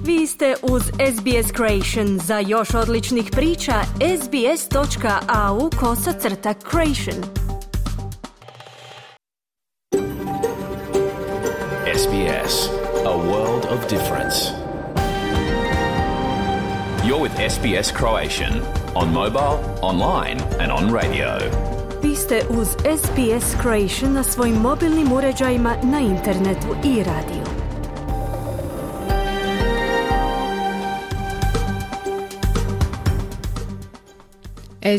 Vi ste uz SBS Creation. Za još odličnih priča, sbs.au/creation. SBS, a world of difference. You're with SBS Croatian on mobile, online and on radio. Vi ste uz SBS Creation na svojim mobilnim uređajima, na internetu i radiju.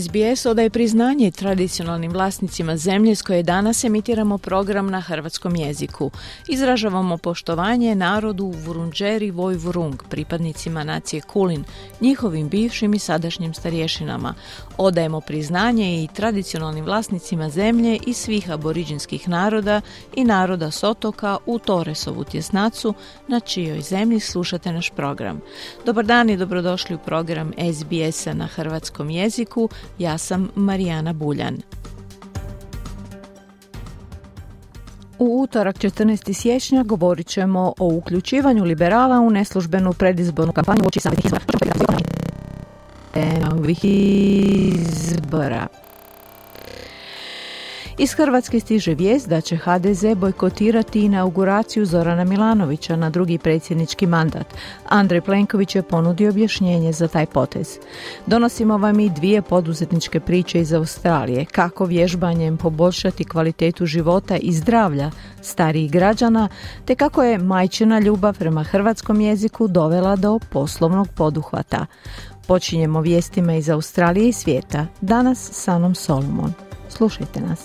SBS odaje priznanje tradicionalnim vlasnicima zemlje s koje danas emitiramo program na hrvatskom jeziku. Izražavamo poštovanje narodu Vurundjeri Woi-wurrung, pripadnicima nacije Kulin, njihovim bivšim i sadašnjim starješinama. Odajemo priznanje i tradicionalnim vlasnicima zemlje i svih aboriđinskih naroda i naroda s otoka u Torresovu tjesnacu, na čijoj zemlji slušate naš program. Dobar dan i dobrodošli u program SBS-a na hrvatskom jeziku. Ja sam Marijana Buljan. U utorak 14. siječnja govorit ćemo o uključivanju liberala u neslužbenu predizbornu kampanju uoči samih izbora. Iz Hrvatske stiže vijest da će HDZ bojkotirati inauguraciju Zorana Milanovića na drugi predsjednički mandat. Andrej Plenković je ponudio objašnjenje za taj potez. Donosimo vam i dvije poduzetničke priče iz Australije, kako vježbanjem poboljšati kvalitetu života i zdravlja starijih građana, te kako je majčina ljubav prema hrvatskom jeziku dovela do poslovnog poduhvata. Počinjemo vijestima iz Australije i svijeta. Danas s Anom Solomon. Slušajte nas.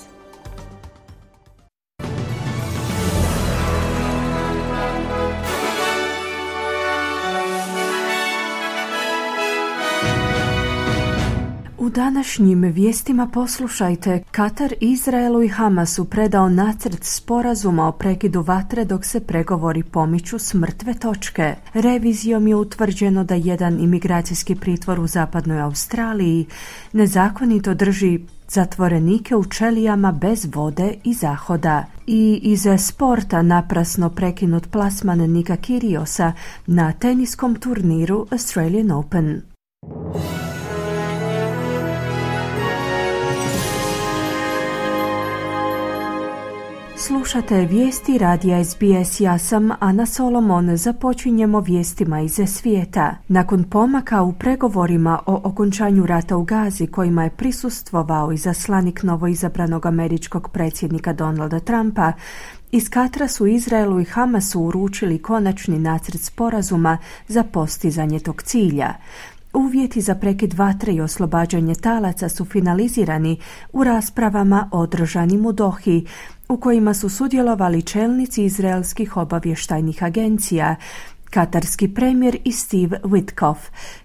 U današnjim vijestima poslušajte: Katar Izraelu i Hamasu predao nacrt sporazuma o prekidu vatre dok se pregovori pomiču s mrtve točke. Revizijom je utvrđeno da jedan imigracijski pritvor u zapadnoj Australiji nezakonito drži zatvorenike u čelijama bez vode i zahoda. I iz sporta naprasno prekinut plasman Nika Kyriosa na teniskom turniru Australian Open. Slušate vijesti radija SBS. Ja sam Ana Solomon. Započinjemo vijestima iz svijeta. Nakon pomaka u pregovorima o okončanju rata u Gazi, kojima je prisustvovao izaslanik novoizabranog američkog predsjednika Donalda Trumpa, iz Katra su Izraelu i Hamasu uručili konačni nacrt sporazuma za postizanje tog cilja. Uvjeti za prekid vatre i oslobađanje talaca su finalizirani u raspravama održanim u Dohi, u kojima su sudjelovali čelnici izraelskih obavještajnih agencija, katarski premijer i Steve Witkoff,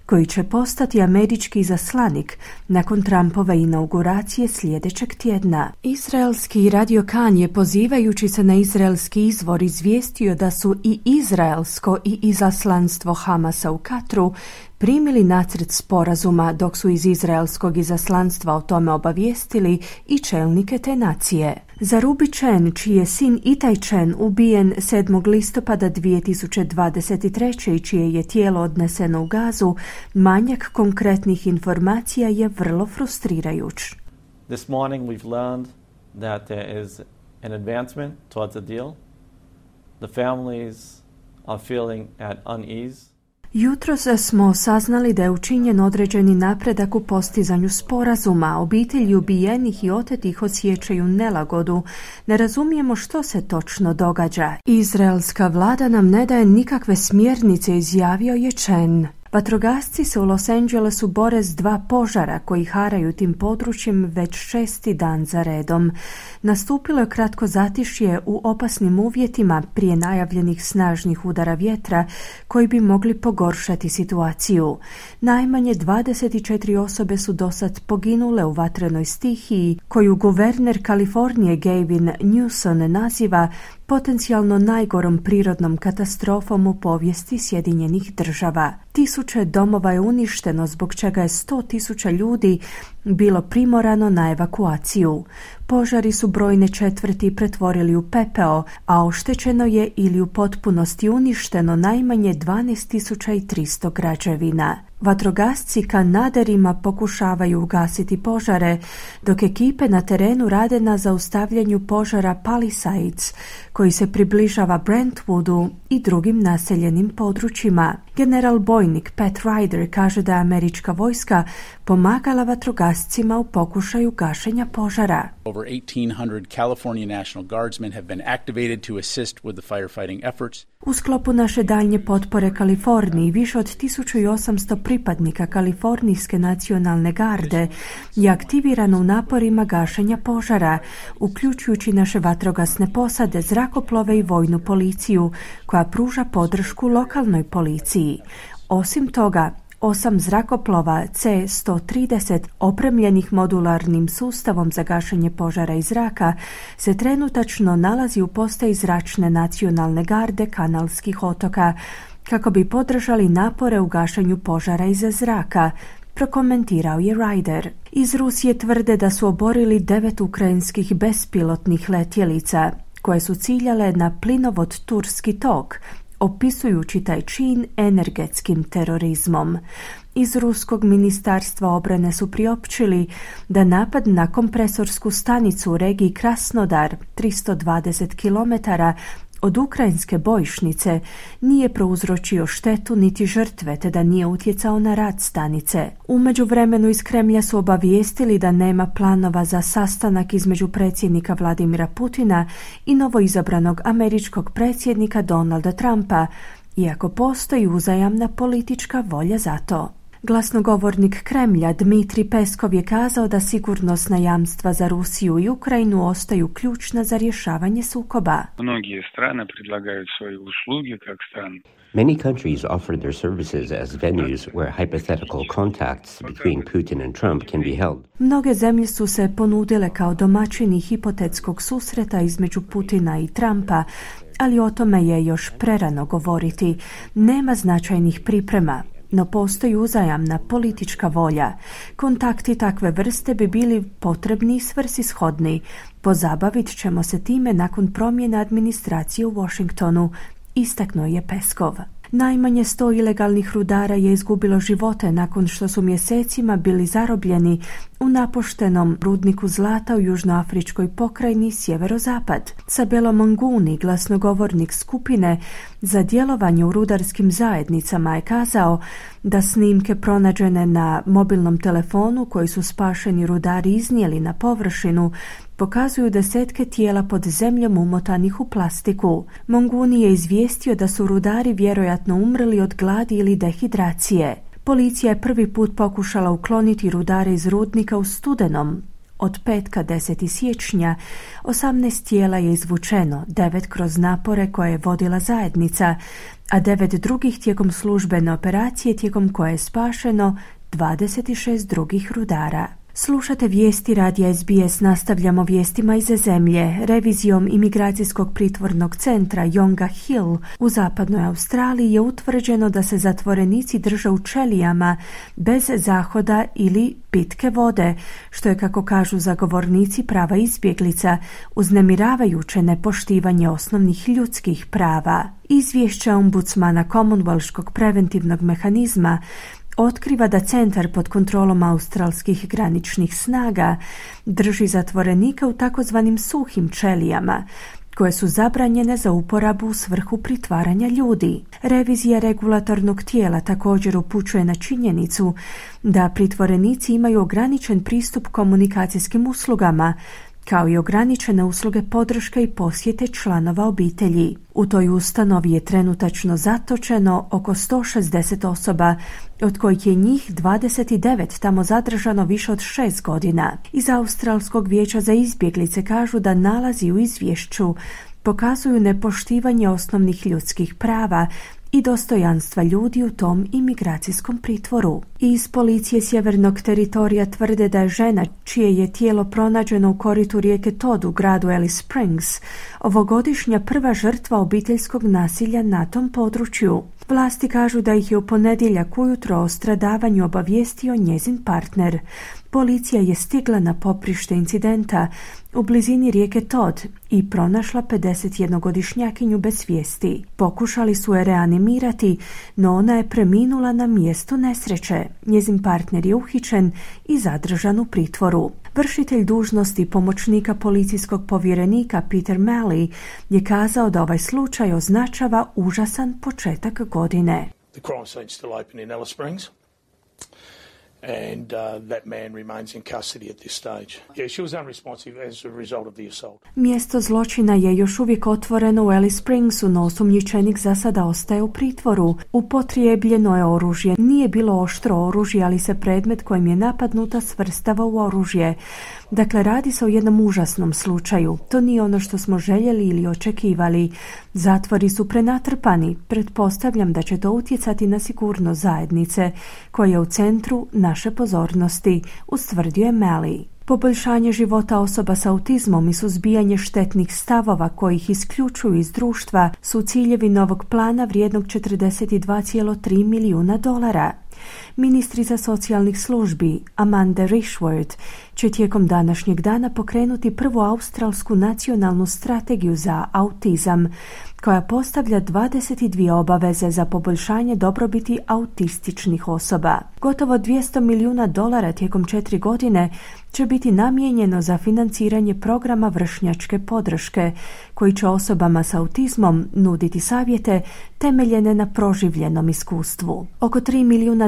koji će postati američki izaslanik nakon Trumpove inauguracije sljedećeg tjedna. Izraelski radio Kan je, pozivajući se na izraelski izvor, izvijestio da su i izraelsko i izaslanstvo Hamasa u Katru primili nacrt sporazuma, dok su iz izraelskog izaslanstva o tome obavijestili i čelnike te nacije. Zarubi Chen, čiji je sin Itai Chen ubijen 7. listopada 2023. i čije je tijelo odneseno u Gazu, manjak konkretnih informacija je vrlo frustrirajuć. This morning we've learned that there is an advancement towards a deal. The families are feeling at unease. Jutros smo saznali da je učinjen određeni napredak u postizanju sporazuma. Obitelji ubijenih i otetih osjećaju nelagodu. Ne razumijemo što se točno događa. Izraelska vlada nam ne daje nikakve smjernice, izjavio je Chen. Vatrogasci se u Los Angelesu bore s 2 požara koji haraju tim područjem već 6. dan za redom. Nastupilo je kratko zatišje u opasnim uvjetima prije najavljenih snažnih udara vjetra koji bi mogli pogoršati situaciju. Najmanje 24 osobe su dosad poginule u vatrenoj stihiji, koju guverner Kalifornije Gavin Newsom naziva potencijalno najgorom prirodnom katastrofom u povijesti Sjedinjenih Država. Tisuće domova je uništeno, zbog čega je 100.000 ljudi bilo primorano na evakuaciju. Požari su brojne četvrti pretvorili u pepeo, a oštećeno je ili u potpunosti uništeno najmanje 12.300 građevina. Vatrogasci kanaderima pokušavaju ugasiti požare, dok ekipe na terenu rade na zaustavljanju požara Palisades, koji se približava Brentwoodu i drugim naseljenim područjima. General bojnik Pat Ryder kaže da je američka vojska pomagala vatrogascima u pokušaju gašenja požara. Over 1,800 California National Guardsmen have been activated to assist with the firefighting efforts. U sklopu naše daljnje potpore Kaliforniji, više od 1800 pripadnika Kalifornijske nacionalne garde je aktivirano u naporima gašenja požara, uključujući naše vatrogasne posade, zrakoplove i vojnu policiju, koja pruža podršku lokalnoj policiji. Osim toga, 8 zrakoplova C-130 opremljenih modularnim sustavom za gašenje požara iz zraka se trenutačno nalazi u postaji zračne nacionalne garde Kanalskih otoka kako bi podržali napore u gašenju požara iz zraka, prokomentirao je Ryder. Iz Rusije tvrde da su oborili 9 ukrajinskih bespilotnih letjelica koje su ciljale na plinovod Turski tok, opisujući taj čin energetskim terorizmom. Iz Ruskog ministarstva obrane su priopćili da napad na kompresorsku stanicu u regiji Krasnodar, 320 km od ukrajinske bojišnice, nije prouzročio štetu niti žrtve, te da nije utjecao na rad stanice. U međuvremenu iz Kremlja su obavijestili da nema planova za sastanak između predsjednika Vladimira Putina i novoizabranog američkog predsjednika Donalda Trumpa, iako postoji uzajamna politička volja za to. Glasnogovornik Kremlja Dmitrij Peskov je kazao da sigurnosna jamstva za Rusiju i Ukrajinu ostaju ključna za rješavanje sukoba. Mnoge strane predlagaju svoje usluge kao strane. Many countries offered their services as venues where hypothetical contacts between Putin and Trump can be held. Mnoge zemlje su se ponudile kao domaćini hipotetskog susreta između Putina i Trumpa, ali o tome je još prerano govoriti. Nema značajnih priprema, no postoji uzajamna politička volja. Kontakti takve vrste bi bili potrebni i svrsishodni. Pozabavit ćemo se time nakon promjene administracije u Washingtonu, istaknuo je Peskov. Najmanje 100 ilegalnih rudara je izgubilo živote nakon što su mjesecima bili zarobljeni u napuštenom rudniku zlata u južnoafričkoj pokrajini Sjeverozapad. Sabelo Manguni, glasnogovornik skupine za djelovanje u rudarskim zajednicama, je kazao da snimke pronađene na mobilnom telefonu koji su spašeni rudari iznijeli na površinu pokazuju desetke tijela pod zemljom umotanih u plastiku. Manguni je izvijestio da su rudari vjerojatno umrli od gladi ili dehidracije. Policija je prvi put pokušala ukloniti rudare iz rudnika u studenom. Od petka 10. siječnja 18 tijela je izvučeno, 9 kroz napore koje je vodila zajednica, a 9 drugih tijekom službene operacije tijekom koje je spašeno 26 drugih rudara. Slušate vijesti radija SBS, nastavljamo vijestima iz zemlje. Revizijom imigracijskog pritvornog centra Yonga Hill u zapadnoj Australiji je utvrđeno da se zatvorenici drže u ćelijama bez zahoda ili pitke vode, što je, kako kažu zagovornici prava izbjeglica, uznemiravajuće nepoštivanje osnovnih ljudskih prava. Izvješća ombudsmana Commonwealthskog preventivnog mehanizma otkriva da centar pod kontrolom australskih graničnih snaga drži zatvorenika u takozvanim suhim ćelijama, koje su zabranjene za uporabu u svrhu pritvaranja ljudi. Revizija regulatornog tijela također upućuje na činjenicu da pritvorenici imaju ograničen pristup komunikacijskim uslugama, kao i ograničene usluge podrške i posjete članova obitelji. U toj ustanovi je trenutačno zatočeno oko 160 osoba, od kojih je njih 29 tamo zadržano više od 6 godina. Iz Australskog vijeća za izbjeglice kažu da nalazi u izvješću pokazuju nepoštivanje osnovnih ljudskih prava i dostojanstva ljudi u tom imigracijskom pritvoru. Iz policije sjevernog teritorija tvrde da je žena, čije je tijelo pronađeno u koritu rijeke Todd u gradu Alice Springs, ovogodišnja prva žrtva obiteljskog nasilja na tom području. Vlasti kažu da ih je u ponedjeljak ujutro o stradavanju obavijestio njezin partner. Policija je stigla na poprište incidenta u blizini rijeke Todd i pronašla 51-godišnjakinju bez svijesti. Pokušali su je reanimirati, no ona je preminula na mjestu nesreće. Njezin partner je uhićen i zadržan u pritvoru. Vršitelj dužnosti pomoćnika policijskog povjerenika Peter Malley je kazao da ovaj slučaj označava užasan početak godine. The crime scene still open in Alice Springs. And that man remains in custody at this stage. Yeah, she was unresponsive as a result of the assault. Mjesto zločina je još uvijek otvoreno u Alice Springsu, no osumnjičenik za sada ostaje u pritvoru. Upotrijebljeno je oružje. Nije bilo oštro oružje, ali se predmet kojim je napadnuta svrstava u oružje. Dakle, radi se o jednom užasnom slučaju. To nije ono što smo željeli ili očekivali. Zatvori su prenatrpani. Pretpostavljam da će to utjecati na sigurnost zajednice, koja je u centru naše pozornosti, ustvrdio je Malley. Poboljšanje života osoba s autizmom i suzbijanje štetnih stavova koji ih isključuju iz društva su ciljevi novog plana vrijednog $42,3 milijuna. Ministrica socijalnih službi Amanda Rishworth će tijekom današnjeg dana pokrenuti prvu australsku nacionalnu strategiju za autizam, koja postavlja 22 obaveze za poboljšanje dobrobiti autističnih osoba. Gotovo $200 milijuna tijekom 4 godine će biti namijenjeno za financiranje programa vršnjačke podrške, koji će osobama s autizmom nuditi savjete temeljene na proživljenom iskustvu. Oko $3 milijuna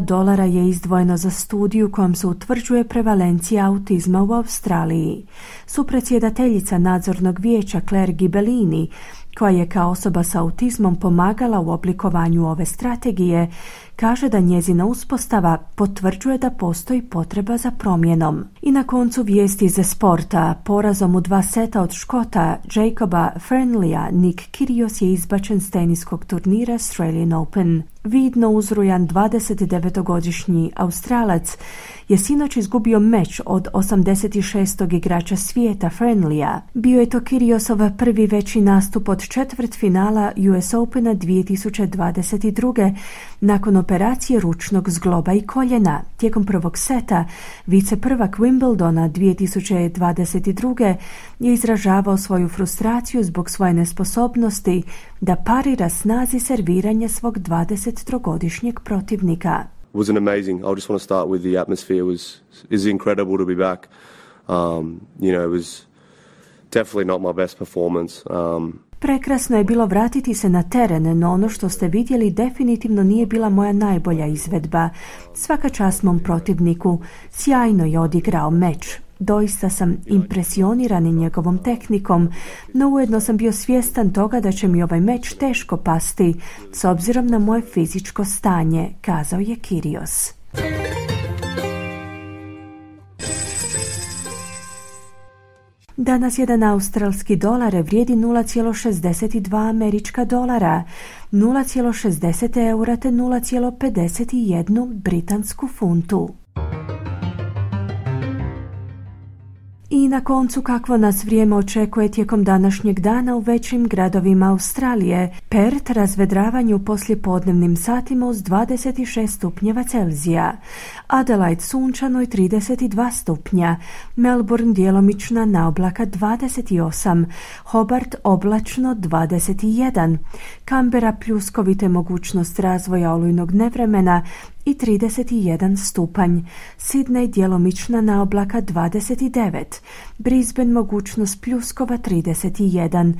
je izdvojeno za studiju kojom se utvrđuje prevalencija autizma u Australiji. Supredsjedateljica nadzornog vijeća Claire Gibellini, koja je kao osoba s autizmom pomagala u oblikovanju ove strategije, kaže da njezina uspostava potvrđuje da postoji potreba za promjenom. I na koncu vijesti iz sporta. Porazom u 2 seta od Škota Jacoba Fernleya, Nick Kyrgios je izbačen s teniskog turnira Australian Open. Vidno uzrujan 29-godišnji Australac je sinoć izgubio meč od 86. igrača svijeta Fernleya. Bio je to Kyrgiosov prvi veći nastup od četvrtfinala US Opena 2022. nakon operacije ručnog zgloba i koljena. Tijekom prvog seta viceprvak Wimbledona 2022. je izražavao svoju frustraciju zbog svoje nesposobnosti da parira snazi serviranja svog 23-godišnjeg protivnika. It wasn't amazing. I just want to start with the atmosphere is incredible to be back. It was definitely not my best performance. Prekrasno je bilo vratiti se na teren, no ono što ste vidjeli definitivno nije bila moja najbolja izvedba. Svaka čast mom protivniku, sjajno je odigrao meč. Doista sam impresioniran njegovom tehnikom, no ujedno sam bio svjestan toga da će mi ovaj meč teško pasti, s obzirom na moje fizičko stanje, kazao je Kyrgios. Danas jedan australski dolar vrijedi 0,62 američka dolara, 0,60 eura te 0,51 britansku funtu. I na koncu kakvo nas vrijeme očekuje tijekom današnjeg dana u većim gradovima Australije. Perth razvedravanje u poslijepodnevnim satima uz 26 stupnjeva Celzija. Adelaide sunčano i 32 stupnja. Melbourne djelomična naoblaka 28. Hobart oblačno 21. Canberra pljuskovite mogućnost razvoja olujnog nevremena i 31 stupanj. Sydney djelomična naoblaka 29. Brisbane mogućnost pljuskova 31.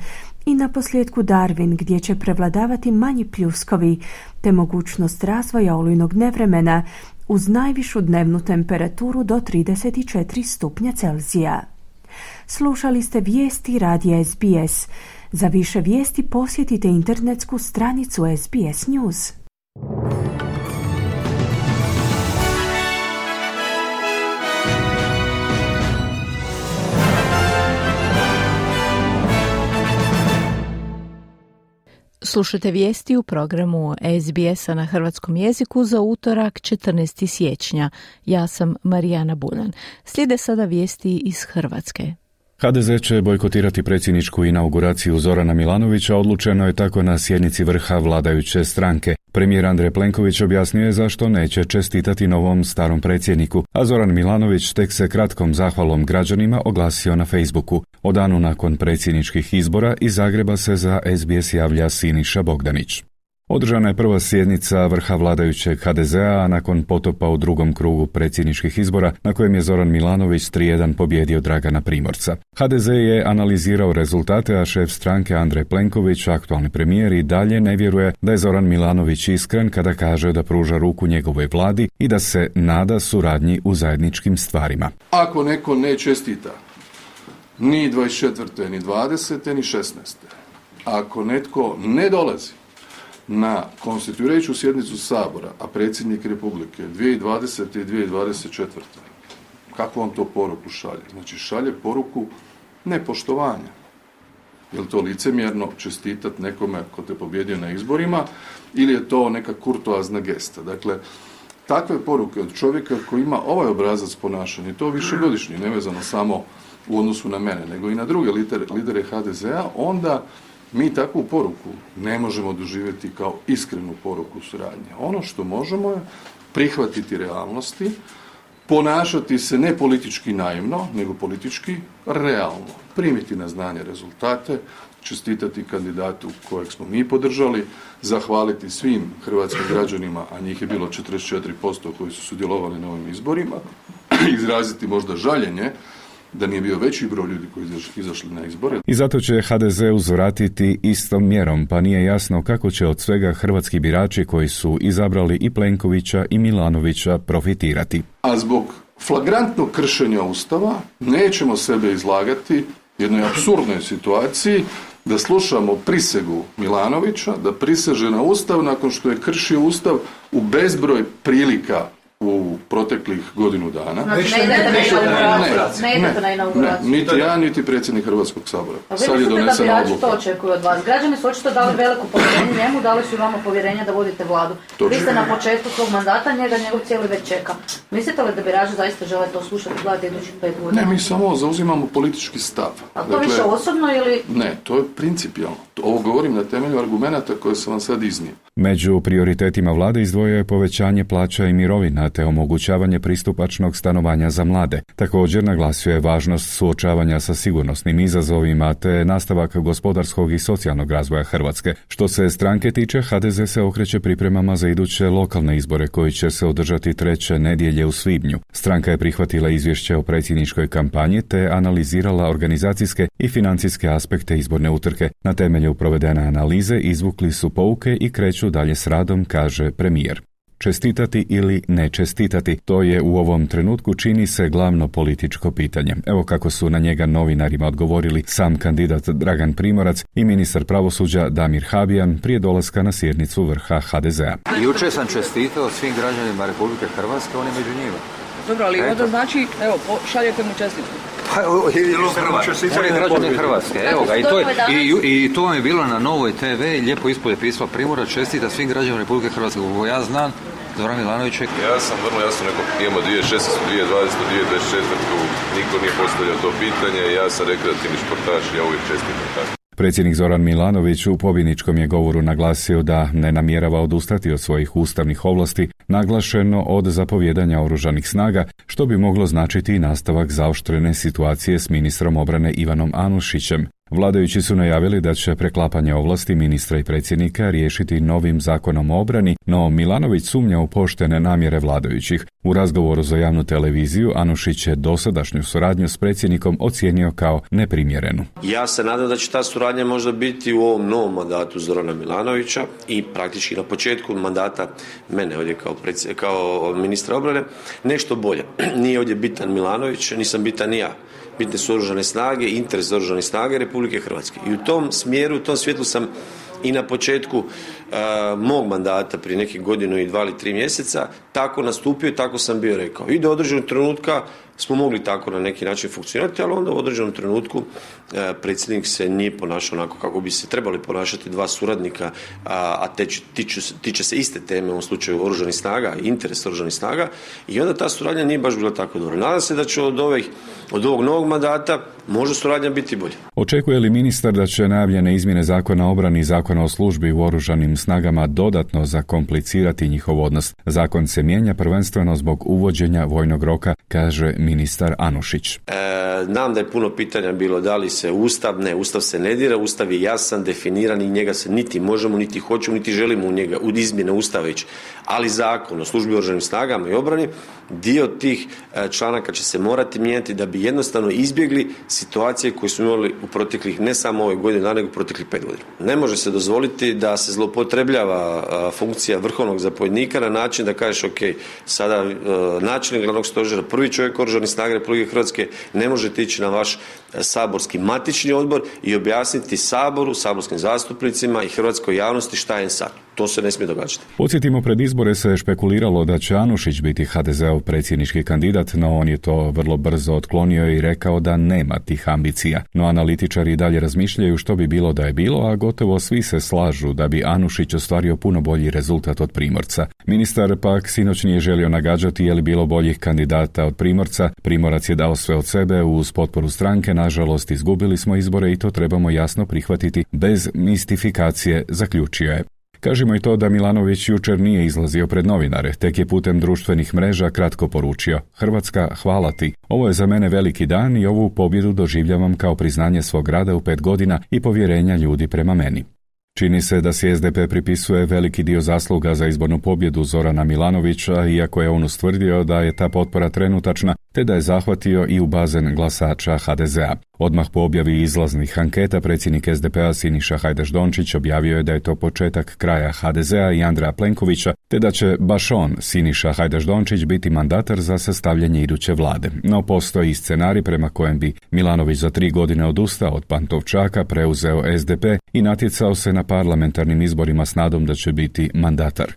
I na posljedku Darwin gdje će prevladavati manji pljuskovi te mogućnost razvoja olujnog nevremena uz najvišu dnevnu temperaturu do 34 stupnja Celzija. Slušali ste vijesti radija SBS. Za više vijesti posjetite internetsku stranicu SBS News. Slušate vijesti u programu SBS-a na hrvatskom jeziku za utorak 14. siječnja. Ja sam Marijana Buljan. Slijede sada vijesti iz Hrvatske. HDZ će bojkotirati predsjedničku inauguraciju Zorana Milanovića, odlučeno je tako na sjednici vrha vladajuće stranke. Premijer Andrej Plenković objasnio je zašto neće čestitati novom starom predsjedniku, a Zoran Milanović tek se kratkom zahvalom građanima oglasio na Facebooku. O danu nakon predsjedničkih izbora iz Zagreba se za SBS javlja Siniša Bogdanić. Održana je prva sjednica vrha vladajućeg HDZ-a, a nakon potopa u drugom krugu predsjedničkih izbora, na kojem je Zoran Milanović 3:1 pobjedio Dragana Primorca. HDZ je analizirao rezultate, a šef stranke Andrej Plenković, aktualni premijer, i dalje ne vjeruje da je Zoran Milanović iskren kada kaže da pruža ruku njegovoj vladi i da se nada suradnji u zajedničkim stvarima. Ako neko ne čestita ni 24. ni 20. ni 16. ako netko ne dolazi na konstituirajuću sjednicu Sabora, a predsjednik Republike 2020. i 2024. Kakvu vam to poruku šalje? Znači šalje poruku nepoštovanja. Je li to licemjerno čestitati nekome ko te pobjedio na izborima ili je to neka kurtoazna gesta? Dakle, takve poruke od čovjeka koji ima ovaj obrazac ponašanja, to višegodišnji, nevezano samo u odnosu na mene, nego i na druge lidere HDZ-a, onda mi takvu poruku ne možemo doživjeti kao iskrenu poruku suradnje. Ono što možemo je prihvatiti realnosti, ponašati se ne politički naivno, nego politički realno. Primiti na znanje rezultate, čestitati kandidatu kojeg smo mi podržali, zahvaliti svim hrvatskim građanima, a njih je bilo 44% koji su sudjelovali na ovim izborima, izraziti možda žaljenje da nije bio veći broj ljudi koji izašli na izbore. I zato će HDZ uzvratiti istom mjerom, pa nije jasno kako će od svega hrvatski birači koji su izabrali i Plenkovića i Milanovića profitirati. A zbog flagrantnog kršenja Ustava nećemo sebe izlagati jednoj apsurdnoj situaciji da slušamo prisegu Milanovića, da priseže na Ustav nakon što je kršio Ustav u bezbroj prilika u proteklih godinu dana. Znači, ne idete na inauguraciju. Niti ja, niti predsjednik Hrvatskog sabora. Sad je donesena odluka. To očekuju od vas. Građani su očito dali veliko povjerenje njemu, dali su vama povjerenje da vodite vladu. Vi ste na početku svog mandata, njegov cijeli već čeka. Mislite li da birači zaista žele to slušati gledati idućih 5 godina? Ne, mi samo zauzimamo politički stav. A to više osobno ili? Ne, to je principijalno. Ovo govorim na temelju argumenata koje sam vam sad iznio. Među prioritetima vlade izdvojio je povećanje plaća i mirovina te omogućavanje pristupačnog stanovanja za mlade. Također naglasio je važnost suočavanja sa sigurnosnim izazovima te nastavak gospodarskog i socijalnog razvoja Hrvatske. Što se stranke tiče, HDZ se okreće pripremama za iduće lokalne izbore koji će se održati 3. nedjelje u svibnju. Stranka je prihvatila izvješće o predsjedničkoj kampanji te analizirala organizacijske i financijske aspekte izborne utrke. Na temelju provedene analize izvukli su pouke i kreću dalje s radom, kaže premijer. Čestitati ili ne čestitati, to je u ovom trenutku čini se glavno političko pitanje. Evo kako su na njega novinarima odgovorili sam kandidat Dragan Primorac i ministar pravosuđa Damir Habijan prije dolaska na sjednicu vrha HDZ-a. Jučer sam čestitao svim građanima Republike Hrvatske, oni među njima. Dobro, ali onda znači, evo, šaljete mu čestitku. On je građanin Hrvatske, evo ga, i to vam je bilo na Novoj TV, lijepo ispod pisma Primorac, čestita svim građanima Republike Hrvatske, kako ja znam, Zoran Milanović. Ja sam vrlo jasno rekao, imamo 2016, 2020, 2024, niko nije postavljao to pitanje, ja sam rekreativni športaš, ja uvijek čestitam tako. Predsjednik Zoran Milanović u pobjedničkom je govoru naglasio da ne namjerava odustati od svojih ustavnih ovlasti, naglašeno od zapovjedanja oružanih snaga, što bi moglo značiti i nastavak zaoštrene situacije s ministrom obrane Ivanom Anušićem. Vladajući su najavili da će preklapanje ovlasti ministra i predsjednika riješiti novim zakonom o obrani, no Milanović sumnja u poštene namjere vladajućih. U razgovoru za javnu televiziju Anušić je dosadašnju suradnju s predsjednikom ocijenio kao neprimjerenu. Ja se nadam da će ta suradnja možda biti u ovom novom mandatu Zorana Milanovića i praktički na početku mandata mene ovdje kao ministra obrane nešto bolje. Nije ovdje bitan Milanović, nisam bitan ni ja. Bitne su oružane snage, interes oružanih snaga Republike Hrvatske. I u tom smjeru, u tom svjetlu sam i na početku mog mandata prije nekih godinu i 2 ili 3 mjeseca tako nastupio i tako sam bio rekao. I do određenog trenutka smo mogli tako na neki način funkcionirati, ali onda u određenom trenutku predsjednik se nije ponašao onako kako bi se trebali ponašati dva suradnika, a tiče se iste teme, u ovom slučaju oružanih snaga i interes oružanih snaga, i onda ta suradnja nije baš bila tako dobra. Nadam se da će od ovog novog mandata može suradnja biti bolja. Očekuje li ministar da će najavljene izmjene Zakona o obrani i Zakona o službi u oružanim snagama dodatno zakomplicirati njihov odnos? Zakon se mijenja prvenstveno zbog uvođenja vojnog roka, kaže ministar Anušić. Znam da je puno pitanja bilo da li se Ustav se ne dira, Ustav je jasan, definiran i njega se niti možemo, niti hoćemo, niti želimo u izmjene Ustava ići. Ali Zakon o službi u oružanim snagama i obrani, dio tih članaka će se morati mijenjati da bi jednostavno izbjegli situacije koje smo imali u proteklih, ne samo ove godine, nego u proteklih 5 godina. Ne može se dozvoliti da se zloupotrebljava funkcija vrhovnog zapovjednika na način da kažeš ok, sada načelnik glavnog stožera, prvi čovjek oružanih snaga Republike Hrvatske ne možete ići na vaš saborski matični odbor i objasniti Saboru, saborskim zastupnicima i hrvatskoj javnosti šta je sad. To se ne smije događati. Podsjetimo, pred izbore se špekuliralo da će Anušić biti HDZ-ov predsjednički kandidat, no on je to vrlo brzo otklonio i rekao da nema tih ambicija. No analitičari i dalje razmišljaju što bi bilo da je bilo, a gotovo svi se slažu da bi Anušić ostvario puno bolji rezultat od Primorca. Ministar pak sinoć nije želio nagađati je li bilo boljih kandidata od Primorca. Primorac je dao sve od sebe uz potporu stranke, nažalost izgubili smo izbore i to trebamo jasno prihvatiti bez mistifikacije, zaključio je. Kažemo i to da Milanović jučer nije izlazio pred novinare, tek je putem društvenih mreža kratko poručio: Hrvatska, hvala ti. Ovo je za mene veliki dan i ovu pobjedu doživljavam kao priznanje svog rada u 5 godina i povjerenja ljudi prema meni. Čini se da si SDP pripisuje veliki dio zasluga za izbornu pobjedu Zorana Milanovića, iako je on ustvrdio da je ta potpora trenutačna, te da je zahvatio i u bazen glasača HDZ-a. Odmah po objavi izlaznih anketa, predsjednik SDP-a Siniša Hajdaš-Dončić objavio je da je to početak kraja HDZ-a i Andreja Plenkovića, te da će baš on, Siniša Hajdaš-Dončić, biti mandatar za sastavljanje iduće vlade. No postoji i scenarij prema kojem bi Milanović za 3 godine odustao od Pantovčaka, preuzeo SDP i natjecao se na parlamentarnim izborima s nadom da će biti mandatar.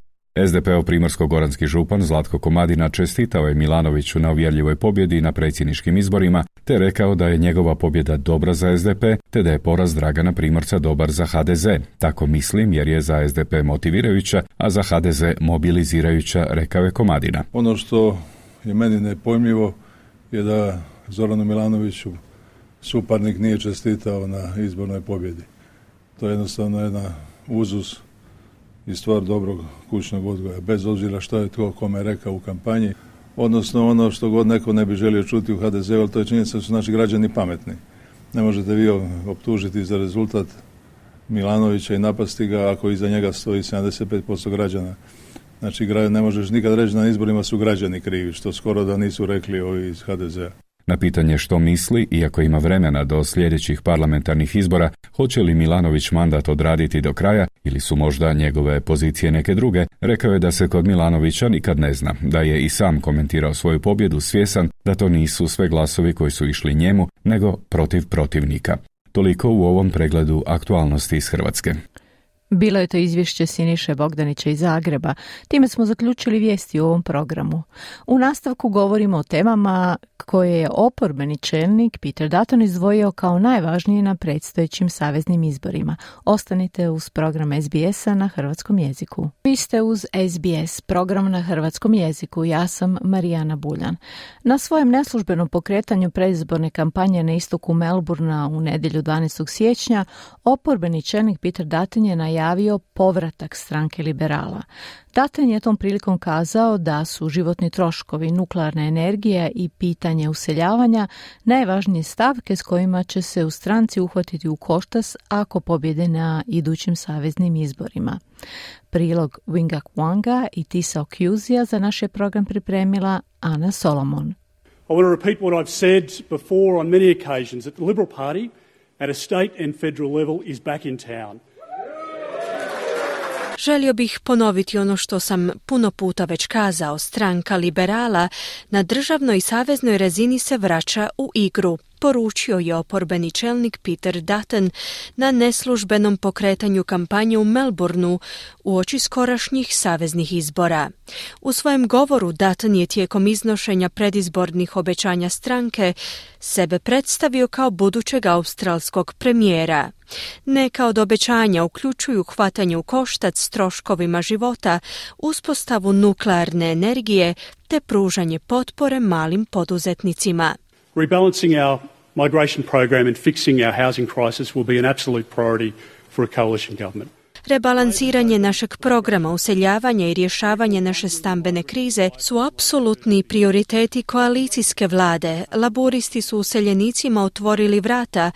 SDP-ov primorsko-goranski župan Zlatko Komadina čestitao je Milanoviću na uvjerljivoj pobjedi na predsjedničkim izborima, te rekao da je njegova pobjeda dobra za SDP, te da je poraz Dragana Primorca dobar za HDZ. Tako mislim jer je za SDP motivirajuća, a za HDZ mobilizirajuća, rekao je Komadina. Ono što je meni nepojmljivo je da Zoranu Milanoviću suparnik nije čestitao na izbornoj pobjedi. To je jednostavno jedna uzus i stvar dobrog kućnog odgoja, bez obzira što je tko kome rekao u kampanji, odnosno ono što god neko ne bi želio čuti u HDZ-u, ali to je činjenica da su naši građani pametni. Ne možete vi optužiti za rezultat Milanovića i napasti ga ako iza njega stoji 75% građana. Znači, ne možeš nikad reći na izborima su građani krivi, što skoro da nisu rekli ovi iz HDZ-a. Na pitanje što misli, iako ima vremena do sljedećih parlamentarnih izbora, hoće li Milanović mandat odraditi do kraja ili su možda njegove pozicije neke druge, rekao je da se kod Milanovića nikad ne zna, da je i sam komentirao svoju pobjedu svjesan da to nisu sve glasovi koji su išli njemu, nego protiv protivnika. Toliko u ovom pregledu aktualnosti iz Hrvatske. Bilo je to izvješće Siniše Bogdanića iz Zagreba. Time smo zaključili vijesti u ovom programu. U nastavku govorimo o temama koje je oporbeni čelnik Peter Dutton izdvojio kao najvažnije na predstojećim saveznim izborima. Ostanite uz program SBS-a na hrvatskom jeziku. Vi ste uz SBS, program na hrvatskom jeziku. Ja sam Marijana Buljan. Na svojem neslužbenom pokretanju predizborne kampanje na istoku Melbourna u nedjelju 12. siječnja oporbeni čelnik Peter Dutton je najavio povratak stranke liberala. Dutton je tom prilikom kazao da su životni troškovi, nuklearna energija i pitanje useljavanja najvažnije stavke s kojima će se u stranci uhvatiti u koštac ako pobjede na idućim saveznim izborima. Prilog Winga Kwanga i Tisa Okuzija za naš je program pripremila Ana Solomon. I want to repeat what I've said before on many occasions, that the Liberal Party at a state and federal level is back in town. Želio bih ponoviti ono što sam puno puta već kazao, stranka liberala na državnoj i saveznoj razini se vraća u igru, poručio je oporbeni čelnik Peter Dutton na neslužbenom pokretanju kampanje u Melbourneu uoči skorašnjih saveznih izbora. U svojem govoru Dutton je tijekom iznošenja predizbornih obećanja stranke sebe predstavio kao budućeg australskog premijera. Neka od obećanja uključuju hvatanje u koštac s troškovima života, uspostavu nuklearne energije te pružanje potpore malim poduzetnicima. Rebalancing our migration program and fixing our housing crisis will be an absolute priority for a coalition government. Rebalansiranje našeg programa useljavanja i rješavanje naše stambene krize su apsolutni prioriteti koalicijske vlade. Laburisti su useljenicima otvorili vrata.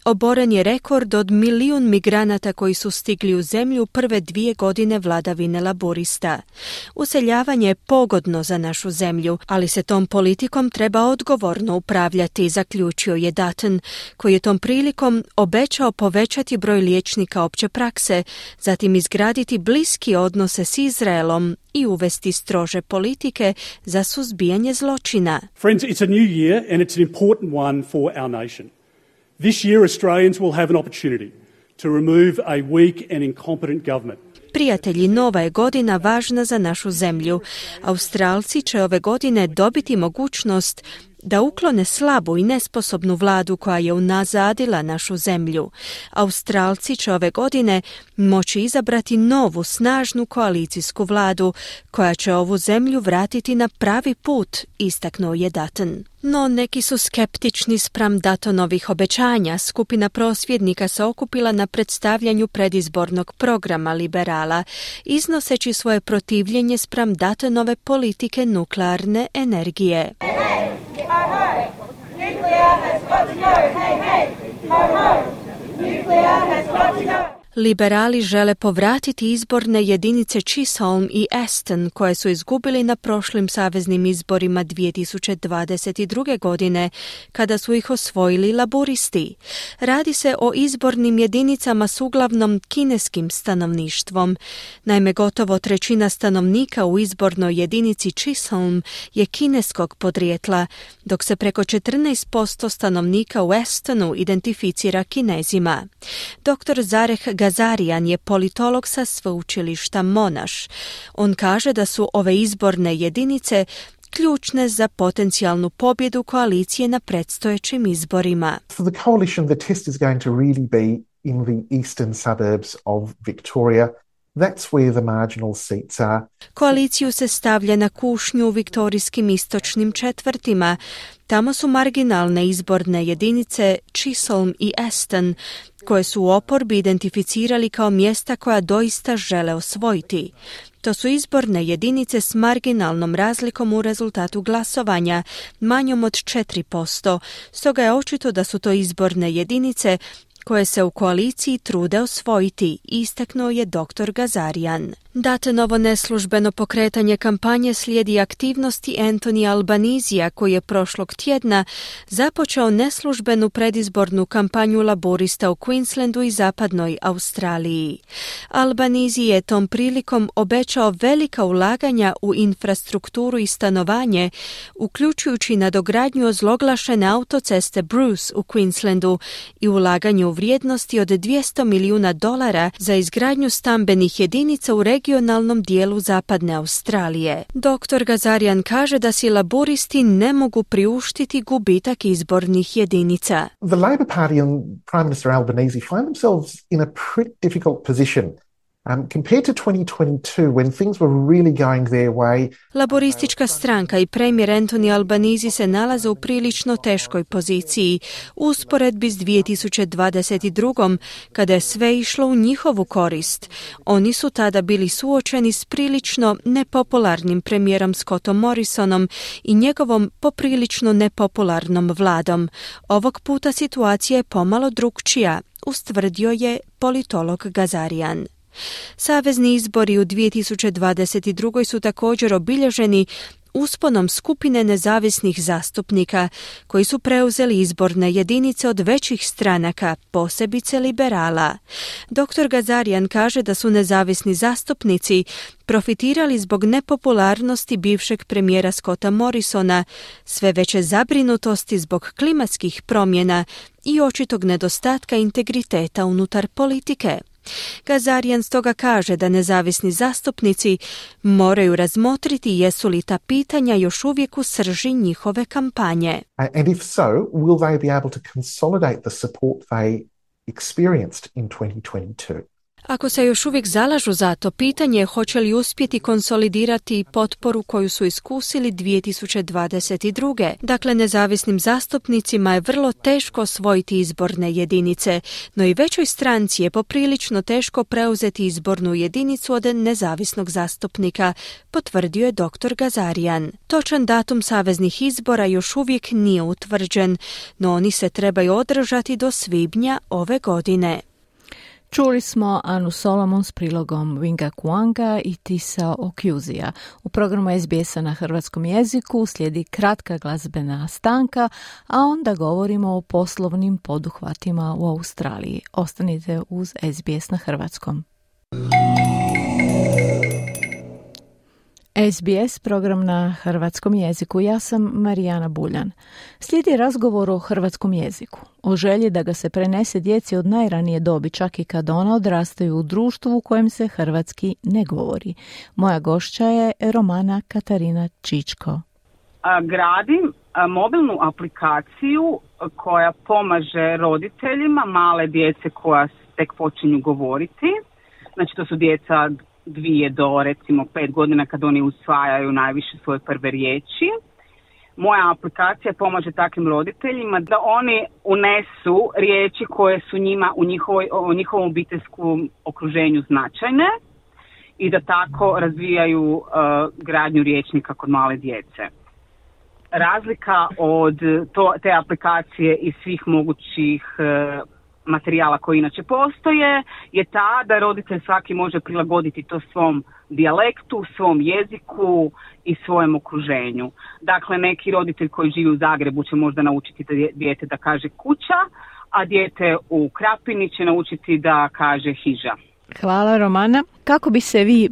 Oboren je rekord od 1 milijun migranata koji su stigli u zemlju prve 2 godine vladavine laborista. Useljavanje je pogodno za našu zemlju, ali se tom politikom treba odgovorno upravljati, zaključio je Dutton, koji je tom prilikom obećao povećati broj liječnika opće prakse, zatim izgraditi bliski odnose s Izraelom i uvesti strože politike za suzbijanje zločina. Friends, it's a new year and it's an important one for our nation. This year, Australians will have an opportunity to remove a weak and incompetent government. Prijatelji, nova je godina važna za našu zemlju. Australci će ove godine dobiti mogućnost da uklone slabu i nesposobnu vladu koja je unazadila našu zemlju. Australci će ove godine moći izabrati novu, snažnu koalicijsku vladu koja će ovu zemlju vratiti na pravi put, istaknuo je Dutton. No neki su skeptični spram Duttonovih obećanja. Skupina prosvjednika se okupila na predstavljanju predizbornog programa liberala, iznoseći svoje protivljenje spram Duttonove politike nuklearne energije. Liberali žele povratiti izborne jedinice Chisholm i Aston koje su izgubili na prošlim saveznim izborima 2022. godine kada su ih osvojili laburisti. Radi se o izbornim jedinicama s uglavnom kineskim stanovništvom. Naime, gotovo 1/3 stanovnika u izbornoj jedinici Chisholm je kineskog podrijetla, dok se preko 14% stanovnika u Astonu identificira Kinezima. Dr. Zareh Gazarian je politolog sa sveučilišta Monash. On kaže da su ove izborne jedinice ključne za potencijalnu pobjedu koalicije na predstojećim izborima. For the coalition, the test is going to really be in the eastern suburbs of Victoria. That's where the marginal seats are. Koaliciju se stavlja na kušnju u viktorijskim istočnim četvrtima. Tamo su marginalne izborne jedinice Chisholm i Aston, koje su u oporbi identificirali kao mjesta koja doista žele osvojiti. To su izborne jedinice s marginalnom razlikom u rezultatu glasovanja, manjom od 4%, stoga je očito da su to izborne jedinice koje se u koaliciji trude osvojiti, istaknuo je dr. Gazarian. Duttonovo neslužbeno pokretanje kampanje slijedi aktivnosti Anthony Albanisija, koji je prošlog tjedna započeo neslužbenu predizbornu kampanju laborista u Queenslandu i zapadnoj Australiji. Albanese je tom prilikom obećao velika ulaganja u infrastrukturu i stanovanje, uključujući nadogradnju ozloglašene autoceste Bruce u Queenslandu i ulaganje u vrijednosti od $200 milijuna za izgradnju stambenih jedinica u regionalnom dijelu zapadne Australije. Dr. Gazarian kaže da si laburisti ne mogu priuštiti gubitak izbornih jedinica. The Labor Party and Prime Minister Albanese find themselves in a pretty difficult position. Compared to 2022, when things were really going their way. Laboristička stranka i premijer Anthony Albanese se nalaze u prilično teškoj poziciji u usporedbi s 2022. kada je sve išlo u njihovu korist. Oni su tada bili suočeni s prilično nepopularnim premijerom Scottom Morrisonom i njegovom poprilično nepopularnom vladom. Ovog puta situacija je pomalo drukčija, ustvrdio je politolog Gazarian. Savezni izbori u 2022. su također obilježeni usponom skupine nezavisnih zastupnika koji su preuzeli izborne jedinice od većih stranaka, posebice liberala. Dr. Gazarian kaže da su nezavisni zastupnici profitirali zbog nepopularnosti bivšeg premijera Scotta Morrisona, sve veće zabrinutosti zbog klimatskih promjena i očitog nedostatka integriteta unutar politike. Gazarian stoga kaže da nezavisni zastupnici moraju razmotriti jesu li ta pitanja još uvijek u srži njihove kampanje. And if so, will they be able to consolidate the support they experienced in 2022? Ako se još uvijek zalažu za to, pitanje je hoće li uspjeti konsolidirati potporu koju su iskusili 2022. Dakle, nezavisnim zastupnicima je vrlo teško osvojiti izborne jedinice, no i većoj stranci je poprilično teško preuzeti izbornu jedinicu od nezavisnog zastupnika, potvrdio je dr. Gazarian. Točan datum saveznih izbora još uvijek nije utvrđen, no oni se trebaju održati do svibnja ove godine. Čuli smo Anu Solomon s prilogom Winga Kuanga i Tisa Okjuzija. U programu SBS-a na hrvatskom jeziku slijedi kratka glazbena stanka, a onda govorimo o poslovnim poduhvatima u Australiji. Ostanite uz SBS na hrvatskom. SBS, program na hrvatskom jeziku. Ja sam Marijana Buljan. Slijedi razgovor o hrvatskom jeziku, o želji da ga se prenese djeci od najranije dobi, čak i kad ona odrastaju u društvu u kojem se hrvatski ne govori. Moja gošća je Romana Katarina Čičko. Gradim mobilnu aplikaciju koja pomaže roditeljima male djece koja tek počinju govoriti. Znači to su djeca 2 do recimo 5 godina kad oni usvajaju najviše svoje prve riječi. Moja aplikacija pomaže takvim roditeljima da oni unesu riječi koje su njima u njihovom obiteljskom okruženju značajne i da tako razvijaju gradnju rječnika kod male djece. Razlika od te aplikacije i svih mogućih materijala koji inače postoje je ta da roditelj svaki može prilagoditi to svom dijalektu, svom jeziku i svojem okruženju. Dakle, neki roditelj koji živi u Zagrebu će možda naučiti dijete da kaže kuća, a dijete u Krapini će naučiti da kaže hiža. Hvala, Romana. Kako bi se vi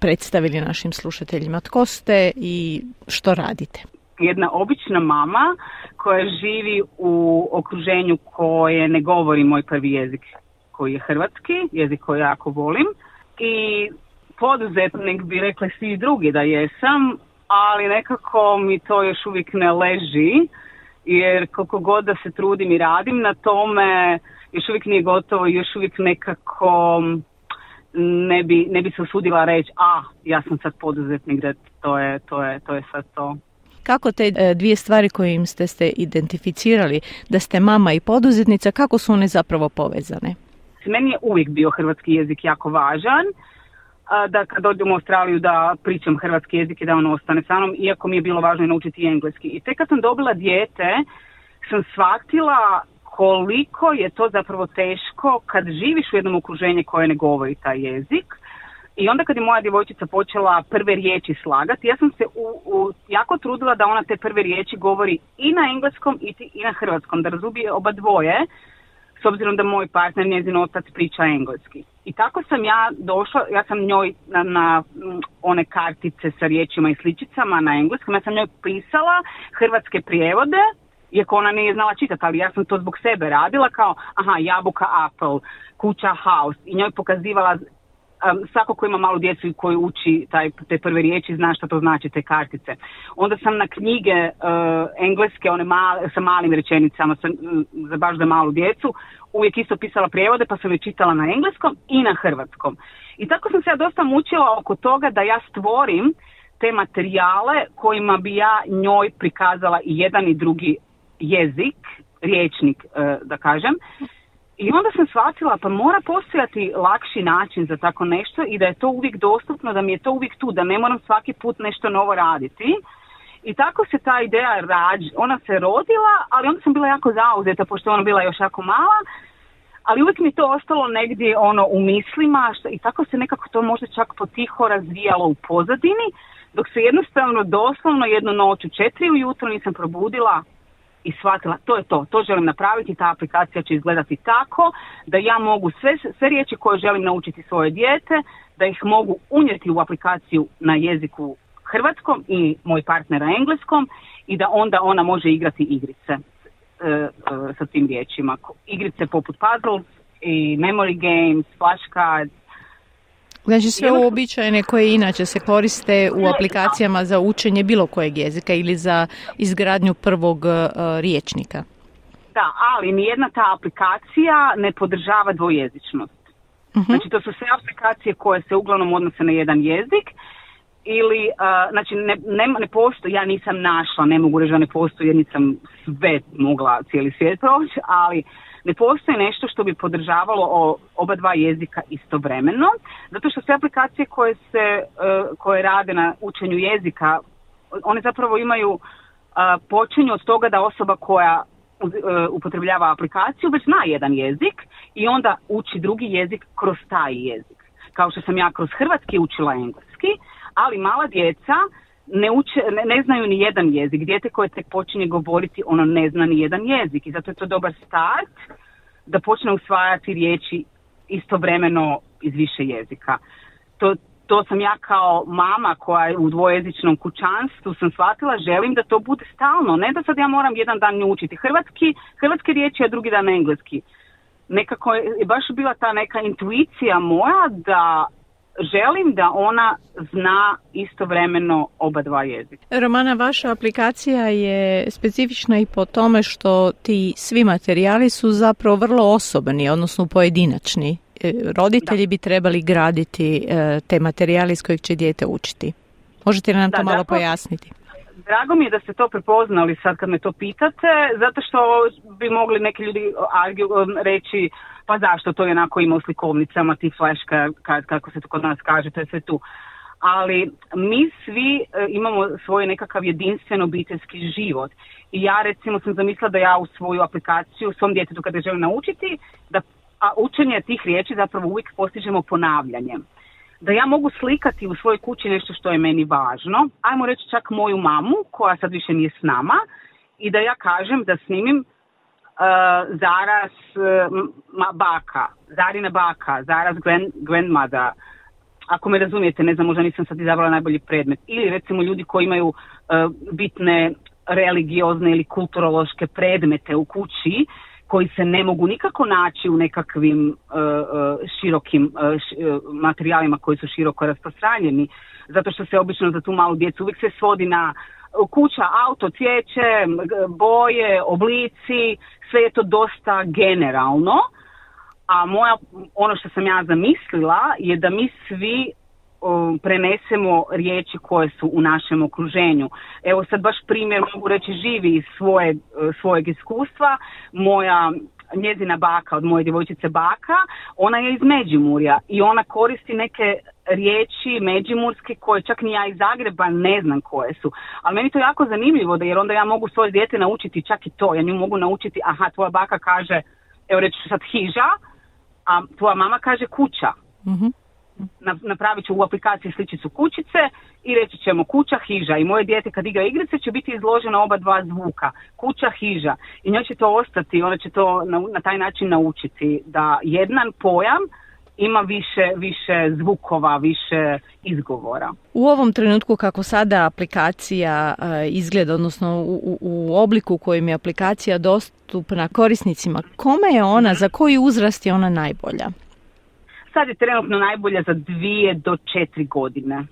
predstavili našim slušateljima? Tko ste i što radite? Jedna obična mama koja živi u okruženju koje ne govori moj prvi jezik, koji je hrvatski, jezik koji jako volim. I poduzetnik bi rekli svi drugi da jesam, ali nekako mi to još uvijek ne leži, jer koliko god da se trudim i radim na tome, još uvijek nije gotovo i još uvijek nekako ne bi se usudila reći, ja sam sad poduzetnik, da to je sad to. Kako te dvije stvari kojim ste identificirali, da ste mama i poduzetnica, kako su one zapravo povezane? Meni je uvijek bio hrvatski jezik jako važan, da kad dođem u Australiju da pričam hrvatski jezik i da on ostane sa mnom, iako mi je bilo važno naučiti engleski. I tek kad sam dobila dijete, sam shvatila koliko je to zapravo teško kad živiš u jednom okruženju koje ne govori taj jezik. I onda kad je moja djevojčica počela prve riječi slagati, ja sam se jako trudila da ona te prve riječi govori i na engleskom i na hrvatskom, da razumije oba dvoje, s obzirom da moj partner, njezin otac, priča engleski. I tako sam ja došla, ja sam njoj na one kartice sa riječima i sličicama na engleskom, ja sam njoj pisala hrvatske prijevode, iako ona nije znala čitati, ali ja sam to zbog sebe radila kao, jabuka, apple, kuća, house, i njoj pokazivala. Svako ko ima malu djecu i koji uči te prve riječi zna šta to znači te kartice. Onda sam na knjige engleske, one sa malim rečenicama, baš za malu djecu, uvijek isto pisala prijevode pa sam je čitala na engleskom i na hrvatskom. I tako sam se ja dosta mučila oko toga da ja stvorim te materijale kojima bi ja njoj prikazala i jedan i drugi jezik, riječnik da kažem. I onda sam shvatila pa mora postojati lakši način za tako nešto i da je to uvijek dostupno, da mi je to uvijek tu, da ne moram svaki put nešto novo raditi. I tako se ta ideja ona se rodila, ali onda sam bila jako zauzeta pošto je ona bila još jako mala, ali uvijek mi to ostalo negdje u mislima i tako se nekako to možda čak potiho razvijalo u pozadini, dok se jednostavno doslovno jednu noć u 4 ujutro nisam probudila i shvatila, to želim napraviti, ta aplikacija će izgledati tako da ja mogu sve riječi koje želim naučiti svoje dijete, da ih mogu unijeti u aplikaciju na jeziku hrvatskom i moj partner na engleskom i da onda ona može igrati igrice sa tim riječima. Igrice poput puzzles i memory games, flashcards. Znači sve uobičajene koje inače se koriste u aplikacijama za učenje bilo kojeg jezika ili za izgradnju prvog rječnika. Da, ali nijedna ta aplikacija ne podržava dvojezičnost. Znači to su sve aplikacije koje se uglavnom odnose na jedan jezik ili, znači ne postoji, ja nisam našla, ne mogu reći da ne postoji jer nisam sve mogla cijeli svijet proći, ali ne postoji nešto što bi podržavalo oba dva jezika istovremeno, zato što sve aplikacije koje rade na učenju jezika, one zapravo počinju od toga da osoba koja upotrebljava aplikaciju već zna jedan jezik i onda uči drugi jezik kroz taj jezik. Kao što sam ja kroz hrvatski učila engleski, ali mala djeca ne znaju ni jedan jezik. Dijete koje tek počinje govoriti, ono ne zna ni jedan jezik i zato je to dobar start da počne usvajati riječi istovremeno iz više jezika. To sam ja kao mama koja je u dvojezičnom kućanstvu sam shvatila, želim da to bude stalno, ne da sad ja moram jedan dan nju učiti hrvatske riječi, a drugi dan engleski. Nekako je baš bila ta neka intuicija moja da želim da ona zna istovremeno oba dva jezika. Romana, vaša aplikacija je specifična i po tome što ti svi materijali su zapravo vrlo osobni, odnosno pojedinačni. Roditelji bi trebali graditi te materijale iz kojih će dijete učiti. Možete li nam to malo pojasniti? Drago mi je da ste to prepoznali sad kad me to pitate, zato što bi mogli neki ljudi reći pa zašto to je onako ima u slikovnicama, ti flashka, kako se to kod nas kaže, to je sve tu. Ali mi svi imamo svoj nekakav jedinstven obiteljski život. I ja recimo sam zamislila da ja u svoju aplikaciju, svom djetetu kada želim naučiti, a učenje tih riječi zapravo uvijek postižemo ponavljanjem. Da ja mogu slikati u svojoj kući nešto što je meni važno, ajmo reći čak moju mamu koja sad više nije s nama i da ja kažem da snimim Zaras baka, Zarina baka, Zaras grandmother, ako me razumijete, ne znam, možda nisam sad izabrala najbolji predmet. Ili recimo ljudi koji imaju bitne religiozne ili kulturološke predmete u kući koji se ne mogu nikako naći u nekakvim širokim materijalima koji su široko rasprostranjeni, zato što se obično za tu malu djecu uvijek se svodi na kuća, auto, cvijeće, boje, oblici, sve je to dosta generalno, a ono što sam ja zamislila je da mi svi prenesemo riječi koje su u našem okruženju. Evo sad baš primjer mogu reći živi iz svojeg iskustva. Njezina baka, od moje djevojčice baka, ona je iz Međimurja i ona koristi neke riječi međimurske koje čak ni ja iz Zagreba ne znam koje su. Ali meni to jako zanimljivo jer onda ja mogu svoje dijete naučiti čak i to. Ja nju mogu naučiti, aha, tvoja baka kaže, evo reći ću sad hiža, a tvoja mama kaže kuća. Mm-hmm. Napravit ću u aplikaciji sličicu kućice i reći ćemo kuća, hiža i moje dijete kad igra igrice će biti izloženo oba dva zvuka, kuća, hiža i njoj će to ostati, ona će to na taj način naučiti da jedan pojam ima više zvukova, više izgovora. U ovom trenutku kako sada aplikacija izgleda, odnosno u obliku u kojem je aplikacija dostupna korisnicima, kome je ona, za koji uzrast je ona najbolja? Sad je trenutno najbolja za 2 do 4 godine.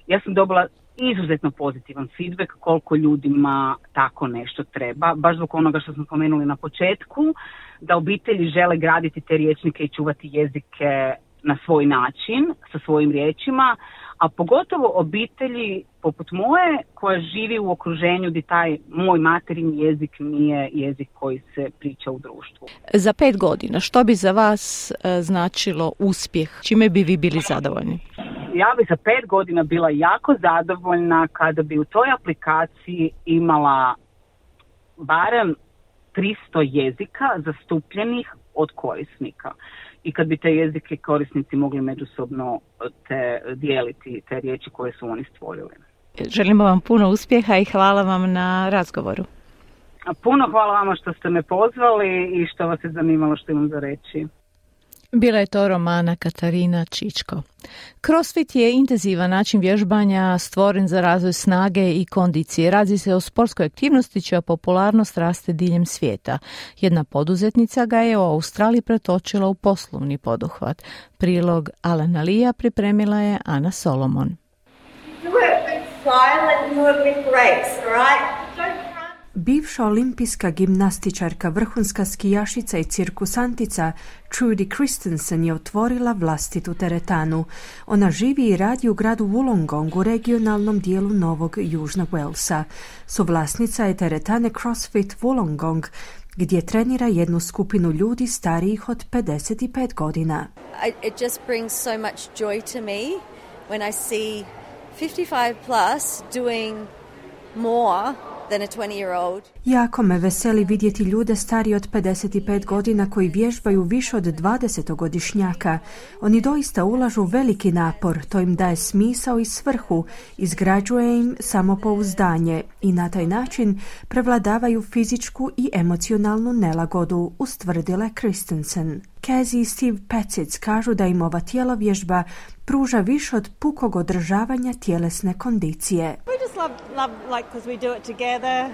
Ja sam dobila izuzetno pozitivan feedback koliko ljudima tako nešto treba. Baš zbog onoga što smo spomenuli na početku, da obitelji žele graditi te rječnike i čuvati jezike na svoj način, sa svojim riječima, a pogotovo obitelji poput moje koja živi u okruženju gdje taj moj materin jezik nije jezik koji se priča u društvu. Za 5 godina, što bi za vas značilo uspjeh? Čime bi vi bili zadovoljni? Ja bi za 5 godina bila jako zadovoljna kada bi u toj aplikaciji imala barem 300 jezika zastupljenih od korisnika. i kad bi te jezike korisnici mogli međusobno dijeliti te riječi koje su oni stvorili. Želimo vam puno uspjeha i hvala vam na razgovoru. Puno hvala vama što ste me pozvali i što vas je zanimalo što imam za reći. Bila je to Romana Katarina Čičko. CrossFit je intenzivan način vježbanja stvoren za razvoj snage i kondicije. Radi se o sportskoj aktivnosti čija popularnost raste diljem svijeta. Jedna poduzetnica ga je u Australiji pretočila u poslovni poduhvat. Prilog Alana Lija pripremila je Ana Solomon. Do it with style and do it with grace, all right? Bivša olimpijska gimnastičarka, vrhunska skijašica i cirkusantica Trudy Christensen je otvorila vlastitu teretanu. Ona živi i radi u gradu Wollongong u regionalnom dijelu Novog Južnog Walesa. Suvlasnica je teretane CrossFit Wollongong, gdje trenira jednu skupinu ljudi starijih od 55 godina. It just brings so much joy to me when I see 55 plus doing more than a 20-year-old. Jako me veseli vidjeti ljude stariji od 55 godina koji vježbaju više od 20-godišnjaka. Oni doista ulažu veliki napor, to im daje smisao i svrhu, izgrađuje im samopouzdanje i na taj način prevladavaju fizičku i emocionalnu nelagodu, ustvrdila Christensen. Casey i Steve Petzic kažu da im ova tjelovježba pruža više od pukog održavanja tjelesne kondicije. We just love like because we do it together.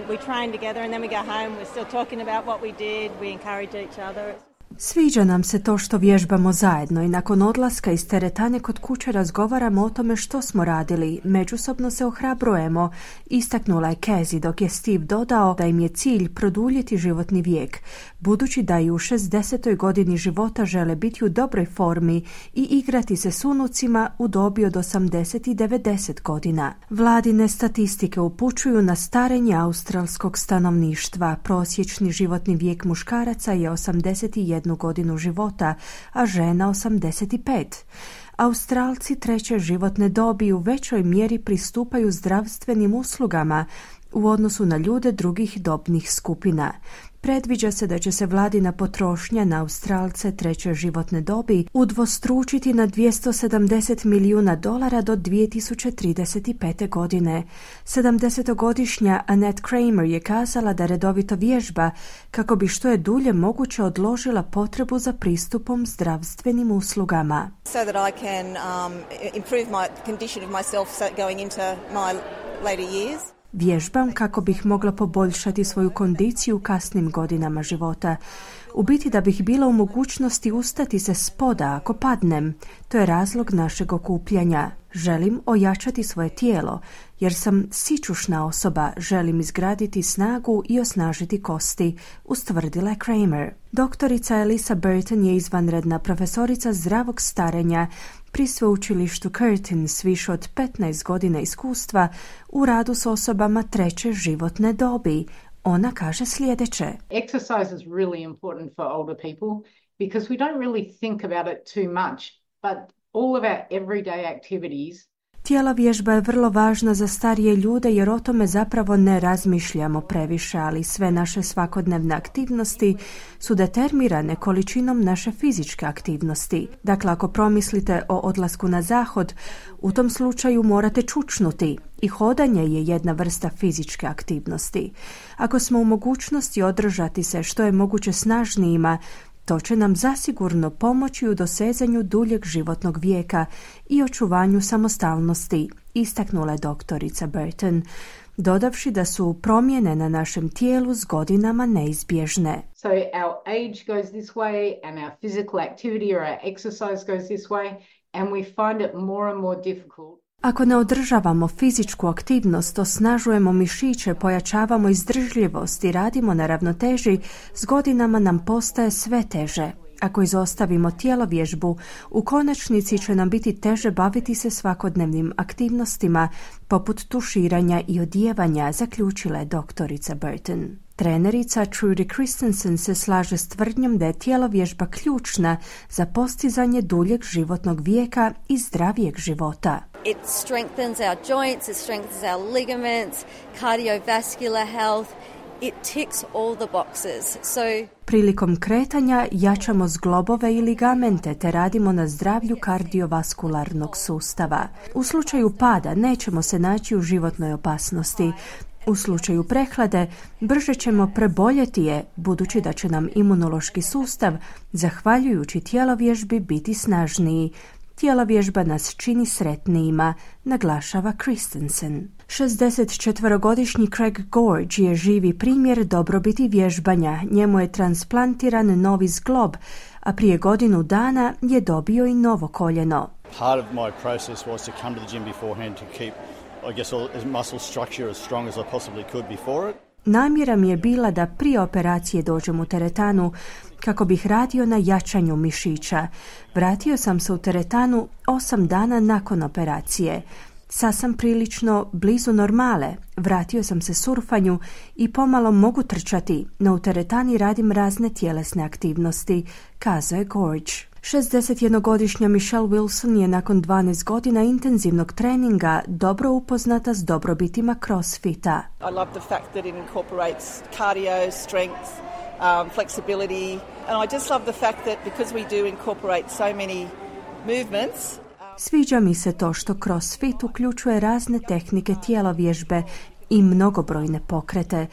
We train together and then we go home. We're still talking about what we did. We encourage each other. Sviđa nam se to što vježbamo zajedno i nakon odlaska iz teretane kod kuće razgovaramo o tome što smo radili. Međusobno se ohrabrujemo, istaknula je Casey, dok je Steve dodao da im je cilj produljiti životni vijek, budući da i u 60. godini života žele biti u dobroj formi i igrati se s unucima u dobi od 80 i 90 godina. Vladine statistike upućuju na starenje australskog stanovništva. Prosječni životni vijek muškaraca je 81 godinu života, a žena 85. Australci treće životne dobi u većoj mjeri pristupaju zdravstvenim uslugama u odnosu na ljude drugih dobnih skupina. Predviđa se da će se vladina potrošnja na Australce treće životne dobi udvostručiti na $270 milijuna do 2035. godine. 70-godišnja Annette Kramer je kazala da redovito vježba kako bi što je dulje moguće odložila potrebu za pristupom zdravstvenim uslugama. So that I can improve my condition of myself going into my later years. Vježbam kako bih mogla poboljšati svoju kondiciju u kasnim godinama života. U biti da bih bila u mogućnosti ustati se spoda ako padnem. To je razlog našeg okupljanja. Želim ojačati svoje tijelo, jer sam sićušna osoba, želim izgraditi snagu i osnažiti kosti, ustvrdila je Kramer. Doktorica Elisa Burton je izvanredna profesorica zdravog starenja pri sveučilištu Curtin s više od 15 godina iskustva u radu s osobama treće životne dobi. Ona kaže sljedeće. Exercise is really important for older people because we don't really think about it too much, but all of our everyday activities. Tjelovježba je vrlo važna za starije ljude jer o tome zapravo ne razmišljamo previše, ali sve naše svakodnevne aktivnosti su determinirane količinom naše fizičke aktivnosti. Dakle, ako promislite o odlasku na zahod, u tom slučaju morate čučnuti i hodanje je jedna vrsta fizičke aktivnosti. Ako smo u mogućnosti održati se što je moguće snažnijima, to će nam zasigurno pomoći u dosezanju duljeg životnog vijeka i očuvanju samostalnosti, istaknula je doktorica Burton, dodavši da su promjene na našem tijelu s godinama neizbježne. So our age goes this way and our physical activity or our exercise goes this way and we find it more and more difficult. Ako ne održavamo fizičku aktivnost, osnažujemo mišiće, pojačavamo izdržljivost i radimo na ravnoteži, s godinama nam postaje sve teže. Ako izostavimo tjelovježbu, u konačnici će nam biti teže baviti se svakodnevnim aktivnostima, poput tuširanja i odijevanja, zaključila je doktorica Burton. Trenerica Trudy Christensen se slaže s tvrdnjom da je tjelovježba ključna za postizanje duljeg životnog vijeka i zdravijeg života. It strengthens our joints, it strengthens our ligaments, cardiovascular health. it ticks all the boxes. So prilikom kretanja jačamo zglobove i ligamente te radimo na zdravlju kardiovaskularnog sustava. U slučaju pada nećemo se naći u životnoj opasnosti. U slučaju prehlade brže ćemo preboljeti je, budući da će nam imunološki sustav, zahvaljujući tjelovježbi, biti snažniji. Tjelovježba nas čini sretnijima, naglašava Christensen. 64-godišnji Craig Gorge je živi primjer dobrobiti vježbanja. Njemu je transplantiran novi zglob, a prije godinu dana je dobio i novo koljeno. Part of my process was to come to the gym beforehand to keep, I guess, all muscle structure as strong as I possibly could before it. Namjera mi je bila da prije operacije dođem u teretanu kako bih radio na jačanju mišića. Vratio sam se u teretanu 8 dana nakon operacije. Sad sam prilično blizu normale. Vratio sam se surfanju i pomalo mogu trčati, no u teretani radim razne tjelesne aktivnosti, kazao je Gorge. 61-godišnja Michelle Wilson je nakon 12 godina intenzivnog treninga dobro upoznata s dobrobitima CrossFita. I love the fact that it incorporates cardio, strength, flexibility, and I just love the fact that because we do incorporate so many movements. Sviđa mi se to što CrossFit uključuje razne tehnike tjelovježbe i mnogobrojne pokrete.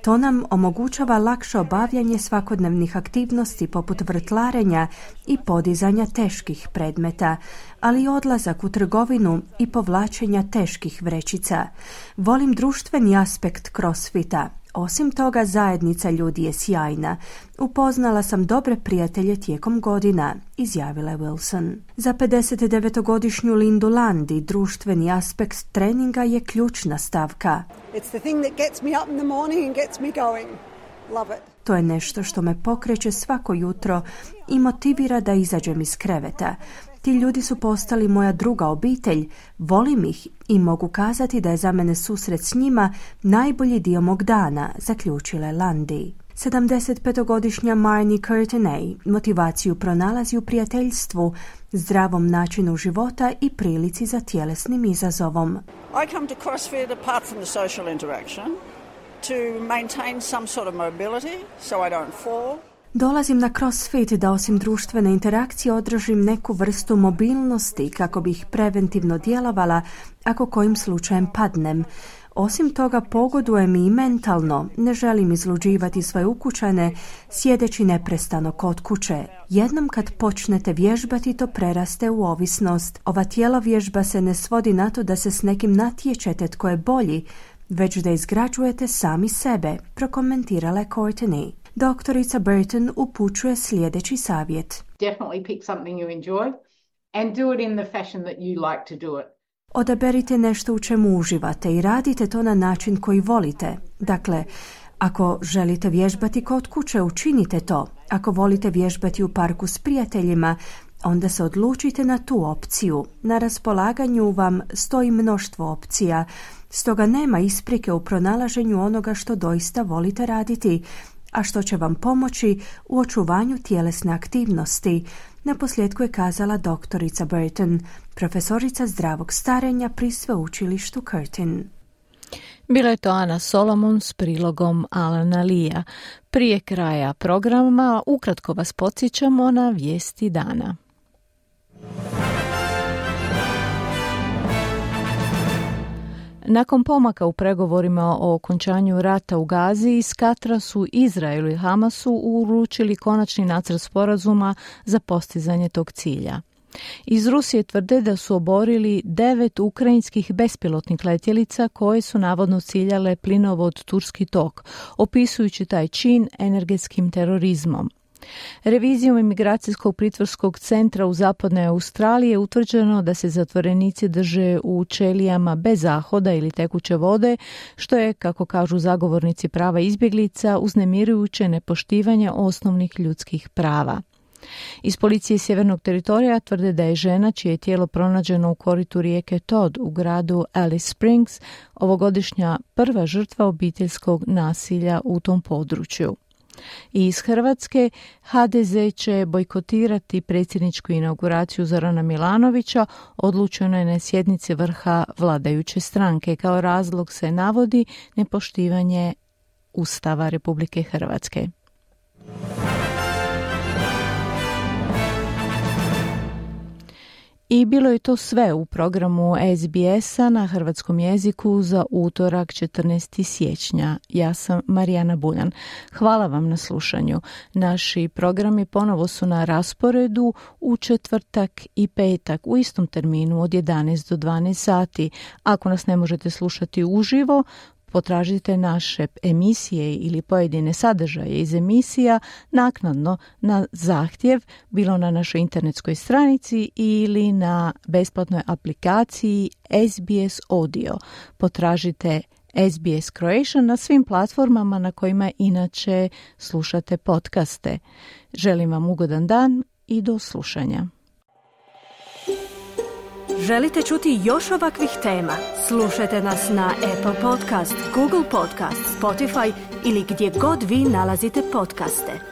To nam omogućava lakše obavljanje svakodnevnih aktivnosti poput vrtlarenja i podizanja teških predmeta, ali i odlazak u trgovinu i povlačenja teških vrećica. Volim društveni aspekt CrossFita. Osim toga, zajednica ljudi je sjajna. Upoznala sam dobre prijatelje tijekom godina, izjavila je Wilson. Za 59-godišnju Lindu Landi društveni aspekt treninga je ključna stavka. It's the thing that gets me up in the morning and gets me going. Love it. To je nešto što me pokreće svako jutro i motivira da izađem iz kreveta. Ti ljudi su postali moja druga obitelj, volim ih i mogu kazati da je za mene susret s njima najbolji dio mog dana, zaključila je Landi. 75-godišnja Marnie Curtinay motivaciju pronalazi u prijateljstvu, zdravom načinu života i prilici za tjelesnim izazovom. I come to CrossFit apart from the social interaction to maintain some sort of mobility so I don't fall. Dolazim na CrossFit da osim društvene interakcije održim neku vrstu mobilnosti kako bih preventivno djelovala ako kojim slučajem padnem. Osim toga pogodujem i mentalno, ne želim izluđivati svoje ukućane sjedeći neprestano kod kuće. Jednom kad počnete vježbati to preraste u ovisnost. Ova tjelovježba se ne svodi na to da se s nekim natječete tko je bolji, već da izgrađujete sami sebe, prokomentirala je Courtney. Doktorica Burton upućuje sljedeći savjet. Definitely pick something you enjoy and do it in the fashion that you like to do it. Odaberite nešto u čemu uživate i radite to na način koji volite. Dakle, ako želite vježbati kod kuće, učinite to. Ako volite vježbati u parku s prijateljima, onda se odlučite na tu opciju. Na raspolaganju vam stoji mnoštvo opcija, stoga nema isprike u pronalaženju onoga što doista volite raditi, a što će vam pomoći u očuvanju tjelesne aktivnosti, naposljetku je kazala doktorica Burton, profesorica zdravog starenja pri sveučilištu Curtin. Bila je to Ana Solomon s prilogom Alana Lea. Prije kraja programa ukratko vas podsjećamo na vijesti dana. Nakon pomaka u pregovorima o okončanju rata u Gazi, iz Katra su Izraelu i Hamasu uručili konačni nacrt sporazuma za postizanje tog cilja. Iz Rusije tvrde da su oborili 9 ukrajinskih bespilotnih letjelica koje su navodno ciljale plinovod Turski tok, opisujući taj čin energetskim terorizmom. Revizijom imigracijskog pritvorskog centra u zapadnoj Australiji je utvrđeno da se zatvorenici drže u ćelijama bez zahoda ili tekuće vode, što je, kako kažu zagovornici prava izbjeglica, uznemirujuće nepoštivanje osnovnih ljudskih prava. Iz policije Sjevernog teritorija tvrde da je žena čije je tijelo pronađeno u koritu rijeke Todd u gradu Alice Springs ovogodišnja prva žrtva obiteljskog nasilja u tom području. I iz Hrvatske HDZ će bojkotirati predsjedničku inauguraciju Zorana Milanovića, odlučeno je na sjednici vrha vladajuće stranke. Kao razlog se navodi nepoštivanje Ustava Republike Hrvatske. I bilo je to sve u programu SBS-a na hrvatskom jeziku za utorak 14. siječnja. Ja sam Marijana Buljan. Hvala vam na slušanju. Naši programi ponovo su na rasporedu u četvrtak i petak u istom terminu od 11 do 12 sati. Ako nas ne možete slušati uživo, potražite naše emisije ili pojedine sadržaje iz emisija naknadno na zahtjev, bilo na našoj internetskoj stranici ili na besplatnoj aplikaciji SBS Audio. Potražite SBS Croatian na svim platformama na kojima inače slušate podcaste. Želim vam ugodan dan i do slušanja. Želite čuti još ovakvih tema? Slušajte nas na Apple Podcast, Google Podcast, Spotify ili gdje god vi nalazite podcaste.